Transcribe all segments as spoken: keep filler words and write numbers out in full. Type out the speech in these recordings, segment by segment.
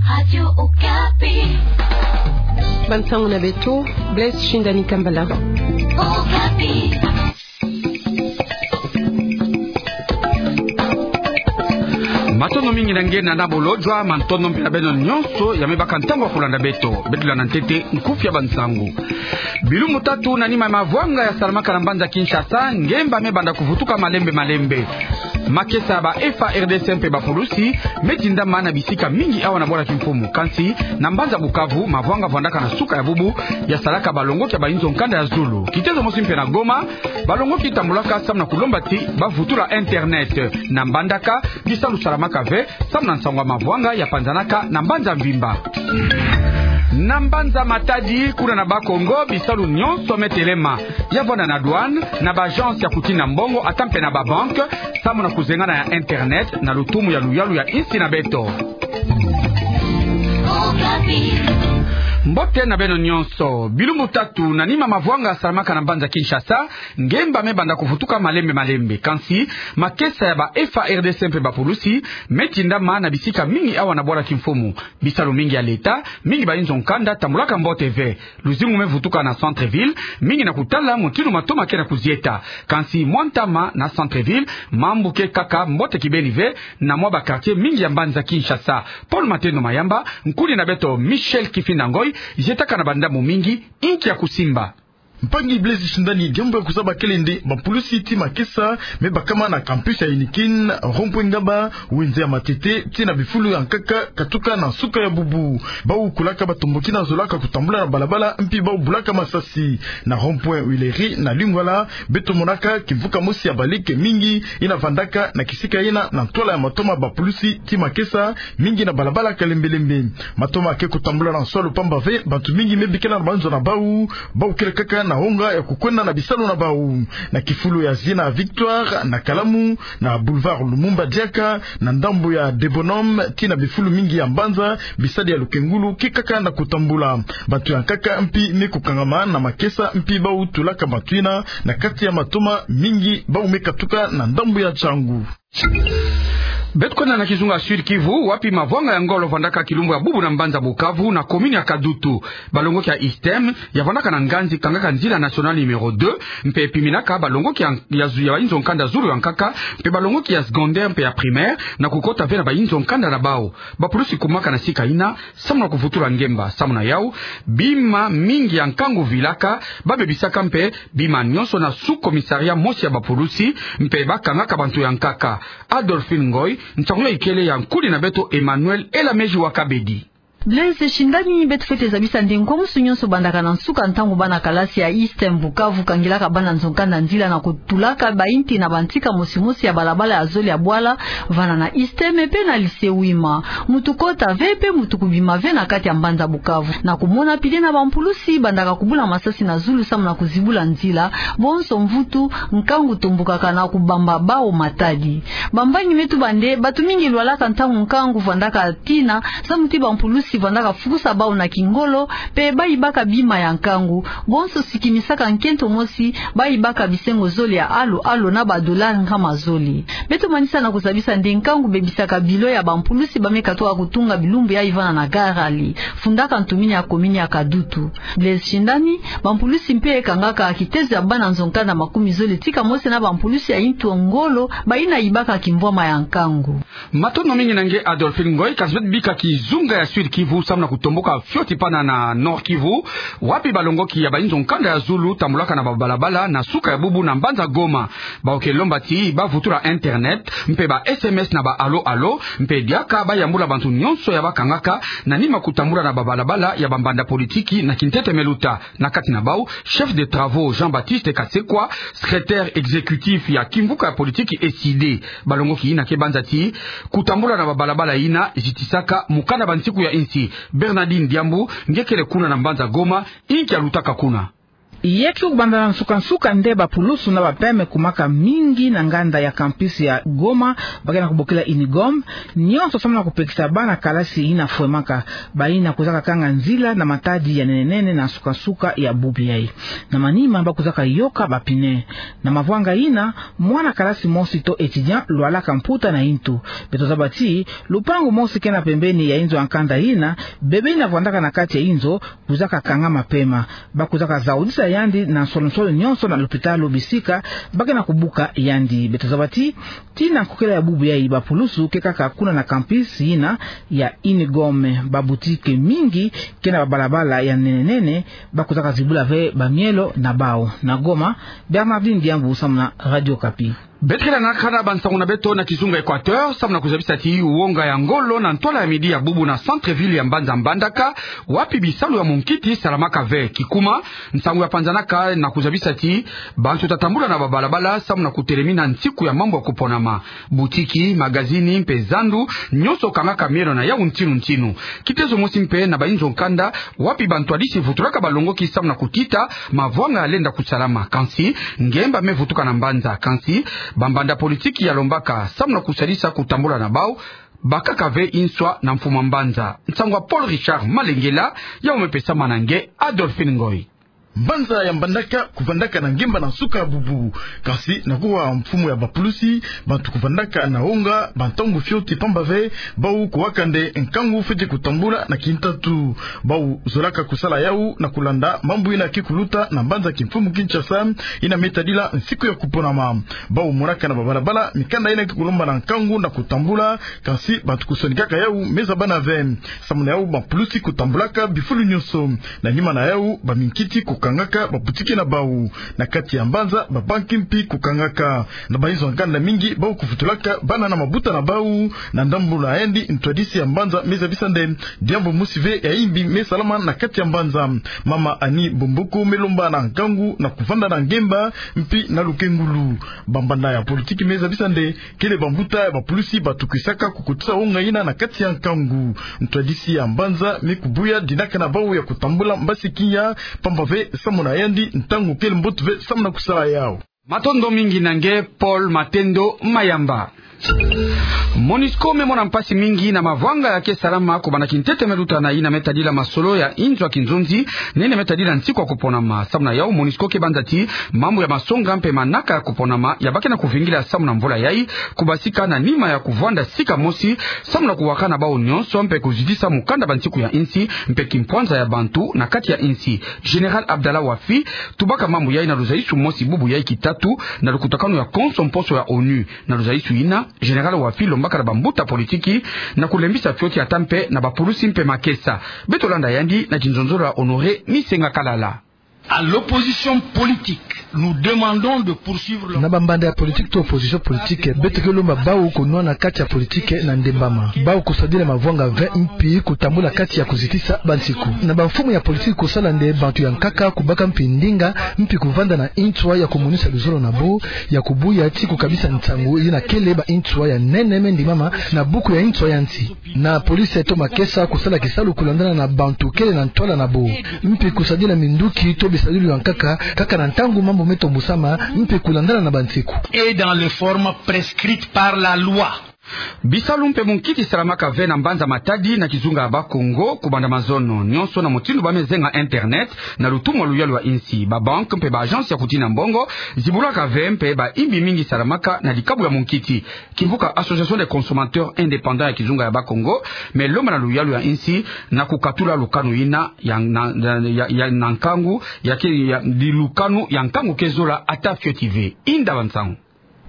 Radio Okapi. Bansangu na beto, Blaise Shindani Kambala. Okapi. Matondo mingi na nge na nabo lojwa, matondo mpe na beno nyonso ya me baka ntangu ya kulanda beto. Beto landa ntete nkufi ya bansangu. Bilumbu tatu na nima ya mavwanga ya salamaka na mbanza Kinshasa, ngemba me banda kuvutuka malembe malembe. Makesa ya ba F A R D C mpe bapulusi me tindama na bisika mingi awa na bwala kimfumu. Kansi, na mbanza Bukavu, mavwanga vwandaka na suka ya bubu ya salaka balongoki ya bainzo nkanda ya zulu. Kitezo mosi mpe na Goma, balongoki tambulaka samu na kulomba ti bavutula internet. Na Mbandaka, bisalu salamaka ve, samu na nsangu ya mavwanga ya panzanaka na mbanza mvimba. Na mbanza Matadi, kuna na Bas-Congo, bisalu nyonso me telema. Ya vwanda na douane, na ba agence ya kutina mbongo, ata mpe na ba banque, samu na kuzengana ya internet, na lutumu ya luyalu ya insi na beto. Mbote na beno nyonso. Bilumbu tatu na nima mavwanga salamaka na mbanza Kinshasa, ngemba me banda kuvutuka malembe malembe. Kansi, makesa ya ba F A R D C mpe bapulusi me tindama na bisika mingi awa na bwala kimfumu. Bisalu mingi ya leta, mingi bainzo nkanda tambulaka mbote ve. Luzingu me vutuka na centre-ville, mingi na kutala mutindu matoma ke na kuzieta. Kansi mwa ntama na centre-ville, mambu ke kaka mbote kibeni ve, na mwa ba quartier mingi ya mbanza Kinshasa. Paul Matendo Mayamba, nkuni na beto Michel Kifinda Ngoy, zietaka na bandambu mingi inki ya kusimba. Mpangi Blaise Shindani, diambu ya kuzaba kele nde bapulusi ti makesa me bakama na campus ya Heineken, rond-point Ngaba, wenze ya Matete, tii na bifulu ya nkaka, katuka na suka ya bubu. Bau kulaka batomboki na zolaka kutambula na balabala, mpi bau bulaka masasi. Na rond-point Huilerie na Lingwala, beto monaka kimvuka mosi ya balike mingi, yina vandaka na kisika yina na ntwala ya matoma bapulusi ti makesa, mingi na balabala kalembelembe. Matoma ke kutambula na nswalu pamba ve, bantu mingi me bikila na banzo na bau, bau kele kaka na wonga ya kukwenda na bisalu na bau. Na kifulu ya zina Victoire, na Kalamu, na boulevard Lumumba diaka, na ndambu ya Debonome, tii na bifulu mingi ya mbanza, bisadi ya lukengulu ke kaka na kutambula. Bantu ya nkaka mpi me kukangama na makesa, mpi bau tulaka bantu yina na kati ya matoma, mingi bau me katuka na ndambu ya Tshangu. Beto kwenda na kizunga Sud-Kivu, wapi mavwanga ya ngolo vandaka kilumbu ya bubu na mbanza Bukavu, na commune ya Kadutu. Balongoki ya ISTEM, ya vandaka na nganzi kangaka nzila nationale numéro deux, mpe piminaka balongoki ya, ya zu-, ya inzo nkanda zulu ya nkaka, mpe balongoki ya secondaire mpe ya primaire, na kukota ve na bainzo nkanda na bau. Bapulusi kumaka na sika yina, samu na kuvutula ngemba. Samu na yau, bima mingi ya nkangu vilaka, babebisaka mpe bima nyonso na sous-commissariat mosi ya bapulusi, mpe bakangaka bantu ya nkaka. Adolphine Ngoy, nsangu ya ikele ya nkuni na beto Emmanuel Elameji wa Kabedi. Blaise Shindani, beto fwete zabisa nde nkwamusu nyonso bandaka na nsuka ntangu bana kalasi ya ISTEM Bukavu kangilaka bana nzo nkanda nzila na kutulaka bainti na bantika mosimosi ya balabala ya zole ya bwala, vana na ISTEM mpe na lycée Wima. Mutu kota ve mpe mutu kubima ve na kati ya mbanza Bukavu. Na kumona pili na bampulusi bandaka kubula masasi na zulu samu na kuzibula nzila, bonso mvutu, nkangu tombokaka na kubamba bau matadi. Bambangi me tuba nde, bantu mingi lwalaka ntangu nkangu vandaka tina, samu ti bampulusi vandaka fukusa bau na kingolo, mpe bayibaka bima ya nkangu, bonso sikimisaka nkento mosi, bayibaka bisengo zole ya alo alo na ba dollars nkama zole. Beto manisa na kuzabisa nde nkangu bebisaka bilo ya bampulusi ba me katuka kutunga bilumbu ya ivana na garali, fundaka ntumini ya commune ya Kadutu. Blaise Shindani, bampulusi mpe kangaka kitezo ya bana nzo nkanda makumi zole tika mosi na bampulusi ya intu ngolo, bayina yibaka kimvwama ya nkangu. Matondo mingi na nge Adolphine Ngoy, kasi beto bika kizunga ya Sud-Kivu, samu na kutomboka fioti pana na Nord-Kivu, wapi balongoki ya bainzo nkanda ya zulu tambulaka na babalabala na suka ya bubu na mbanza Goma. Bau ke lomba ti bavutula internet, mpe ba S M S na ba alo alo, mpe diaka bayambula bantu nyonso ya bakangaka na nima kutambula na babalabala ya bambanda politiki na kintete me luta. Na kati na bau, chef de travaux Jean-Baptiste Kasekwa, secrétaire exécutif ya kimvuka ya politiki ECIDE. Balongoki yina ke banza ti kutambula na babalabala yina zitisaka mokanda bansiku ya insi. Bernardine Diambu, nge kele kuna na mbanza Goma, inki ya lutaka kuna? Yaki kubanda na nsuka-nsuka nde bapulusu na bapeme kumaka mingi na nganda ya campus ya Goma, ba ke na kubokila Unigom, nyonso samu na kupekisa bana kalasi yina fwemaka, bayina kwizaka kanga nzila na matadi ya nene-nene na nsuka-nsuka ya bubu yayi. Na manima ba kwizaka yoka ba pneu. Na mavwanga yina, mwana kalasi mosi to étudiant lwalaka mputa na yintu. Beto zaba ti, lupangu mosi ke na pembeni ya inzo ya nkanda yina, bebe yina vwandaka na kati ya inzo, kwizaka kangama pema. Ba kwizaka zaudisa yandi na nsolo-nsolo nyonso na lopitalo bisika ba ke na kubuka yandi. Beto zaba ti, tii na nkokela ya bubu yayi bapulusu ke kaka kuna na campus yina ya Unigom. Baboutique mingi ke na babalabala ya nene-nene, ba kwizaka zibula ve bamielo na bawu. Na Goma, Bernardine Diambu samu na Radio Okapi. Beto ke lanaka na bansangu na beto na kizunga Équateur, samu na kuzabisa ti wonga ya ngolo na ntwala ya midi ya bubu na centre-ville ya mbanza Mbandaka, wapi bisalu ya munkiti salamaka ve. Kikuma, nsangu ya panzanaka na kuzabisa ti bantu ta tambula na babalabala samu na kutelemina nsiku ya mambu ya kuponama. Butiki, magazini, mpe zandu, nyonso kangaka mielo na yawu ntinu-ntinu. Kitezo mosi mpe na bainzo nkanda, wapi bantwadisi vutulaka balongoki samu na kutita mavwanga ya lenda kusalama. Kansi, ngemba me vutuka na mbanza. Kansi, bambanda politiki ya lombaka samu na kusalisa kutambula na bawu, bakaka ve inswa na mfumu a mbanza. Nsangu ya Paul Richard Malengela, yawu me pesama na nge Adolphine Ngoy. Mbanza ya Mbandaka kuvandaka na ngemba na nsuka ya bubu. Kansi na kuwa mfumu ya bapulusi, bantu kuvandaka na wonga bantangu fioti pamba ve, bawu kuwaka nde nkangu fweti kutambula na kintatu. Bawu zolaka kusala yawu na kulanda mambu yina ke kuluta na mbanza kimfumu Kinshasa, yina me tadila nsiku ya kuponama. Bawu monaka na babalabala mikanda yina ke kulomba na nkangu na kutambula, kansi bantu kusonikaka yawu me zabana ve. Samu na yawu bapulusi kutambulaka bifulu nyonso. Na nima na yawu, baminkiti kukangaka babutiki na bawu. Na kati ya mbanza, babanki mpi kukangaka. Na bainzo ya nkanda mingi, bawu kuvutulaka bana na mabuta na bawu. Na ndambu na yandi, ntwadisi ya mbanza me zabisa nde diambu mosi ve ya yimbi me salama na kati ya mbanza. Mama Annie Bomboko me lomba na nkangu na kuvanda na ngemba mpi na lukengulu. Bambanda ya politiki me zabisa nde kele bambuta ya bapulusi batu kwisaka kukotisa wonga yina na kati ya nkangu. Ntwadisi ya mbanza me kubuya dinaka na bawu ya kutambula mbasi kiya, pamba ve samu na yandi ntangu kele mbote ve samu na kusala yawu. Matondo mingi na nge Paul Matendo Mayamba. Monusco me mona mpasi mingi na mavwanga ya ke salama kubanda kintete me luta na yina me tadila masolo ya inzo ya kinzonzi, nene me tadila nsiku ya kuponama. Samu na yawu, Monusco ke banza ti mambu ya masonga mpe manaka ya kuponama ya ba ke na kuvingila samu na mvula yayi, kubasika na nima ya kuvwanda sika mosi, samu na kuwakana bawu nyonso mpe kuzitisa mukanda bansiku ya insi mpe kimpwanza ya bantu na kati ya insi. Général Abdallah Wafi tubaka mambu yayi na luzaisu mosi bubu yayi kitatu na lukutakanu ya konso mposo ya ONU. Na luzaisu yina, Général Wafi lombaka na bambuta politiki na kulembisa fioti ata mpe na bapulusi mpe makesa. Beto landa yandi na kinzonzolo ya Honoré Misenga Kalala. À l'opposition politique, nous demandons de poursuivre le... Na bambanda ya politiki to opposition politique, beto ke lomba bawu kunwana kati ya politiki na ndembama. Bawu kusadila mavwanga ve mpi kutambula kati ya kuzitisa bansiku. Na bamfumu ya politiki kusala nde bantu ya nkaka kubaka mpi ndinga, mpi kuvanda na inswa ya kumonisa luzolo na bo, ya kubuya ti kukabisa nsangu yina kele ba inswa ya nene me ndimama na buku ya inswa ya nsi. Na police to makesa kusala kisalu kulandana na bantu kele na ntwala na bo. Mpi kusadila minduki to bisadulu ya nkaka, kaka na ntangu mambu me tombusama, mpi kulandana na bansiku. Et dans les formes prescrites par la loi. Bisalu mpe munkiti salamaka ve na mbanza Matadi na kizunga ya Bas-Congo, kubanda mazono nyonso na mutindu ba me zenga internet, na lutumu ya luyalu ya insi. Babanque mpe ba agence ya kutina mbongo zibulaka ve mpe ba imbi mingi salamaka na dikabu ya munkiti. Kimvuka Association des consommateurs indépendants ya kizunga ya Bas-Congo me lomba na luyalu ya insi na kukatula lukanu yina ya, na, ya, ya, ya, na nkangu, ya ke, ya, di lukanu ya nkangu ke zola ata fioti ve. Inda bansangu.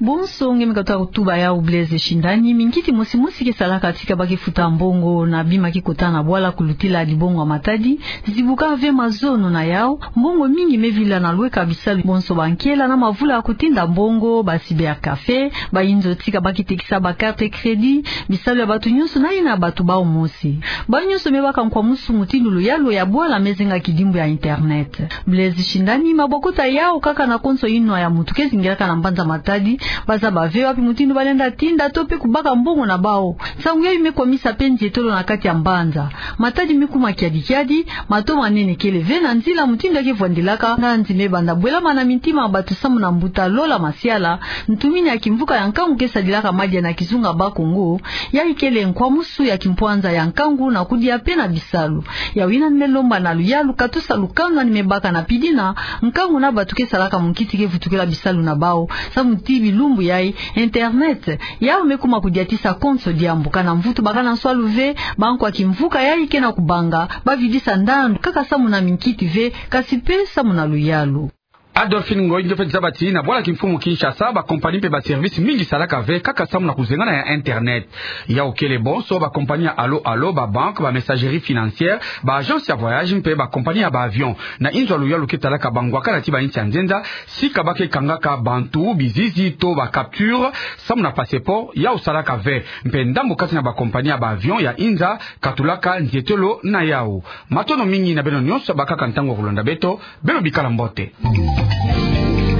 Bonso nge me katuka kutuba yawu Blaise Shindani, minkiti mosi mosi ke salaka tika ba ke futa mbongo na bima ke kota na bwala kulutila dibongo ya Matadi, zibuka ve mazono na yawu, mbongo mingi me vila na lweka bisalu bonso ba nkela na mavula ya kutinda mbongo, ba cybercafé, ba inzo tika ba ke tekisa ba carte crédit, bisalu ya bantu nyonso na yina bantu bawu mosi. Bawu nyonso me baka nkwamusu mutindu luyalu ya bwala me zenga kidimbu ya internet. Blaise Shindani, mabokota yawu kaka na konso inwa ya mutu ke zingilaka na mbanza Matadi, Bazaba ve wapi mutindu balenda tinda to pe kubaka mbongo na bawu. Nsangu yayi me kwamisa pe nzietolo na kati ya mbanza. Matadi me kuma kiadi kiadi, mato manene kele ve na nzila mutindu ya ke vwandilaka, nganzi me banda bwelama na mintima ya bato samu na mbuta Lola Masiala, ntumini ya kimvuka ya nkangu ke sadilaka madia na kizunga Bas-Congo. Yayi kele nkwamusu ya kimpwanza ya nkangu na kudia pe na bisalu. Yawu yina ni me lomba na luyalu katusa lukanga ni me baka na pidina nkangu na bato ke salaka munkiti ke vutukila bisalu na bawu, samu ti bilumbu yayi, internet yawu me kuma kudiatisa konso diambu. Kana mvutu bakana nswalu ve, bankwa kimvuka yayi ke na kubanga bavidisa ndandu kaka samu na minkiti ve, kasi pe samu na luyalu. Adolphine Ngoy, nge feti zaba ti na bwala kimfumu Kinshasa, ba compagnie mpe ba service mingi salaka ve kaka samu na kuzengana ya internet. Yawu kele bonso ba compagnie ya Allo Allo, ba banque, ba messagerie financière, ba agence ya voyage mpe ba compagnie ya ba avion. Na inzo ya luyalu ke talaka bangwakana ti ba insi ya nzenza, sika ba ke kangaka bantu, bizizi to ba capture samu na passeport, yawu salaka ve. Mpe ndambu kati na ba compagnie ya ba avion ya inza katulaka nzietolo na yawu. Matondo mingi na beno nyonso bakaka ntangu ya kulanda beto. Beno bikala mbote.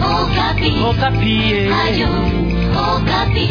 Okapi. Okapi, eh. Radio Okapi.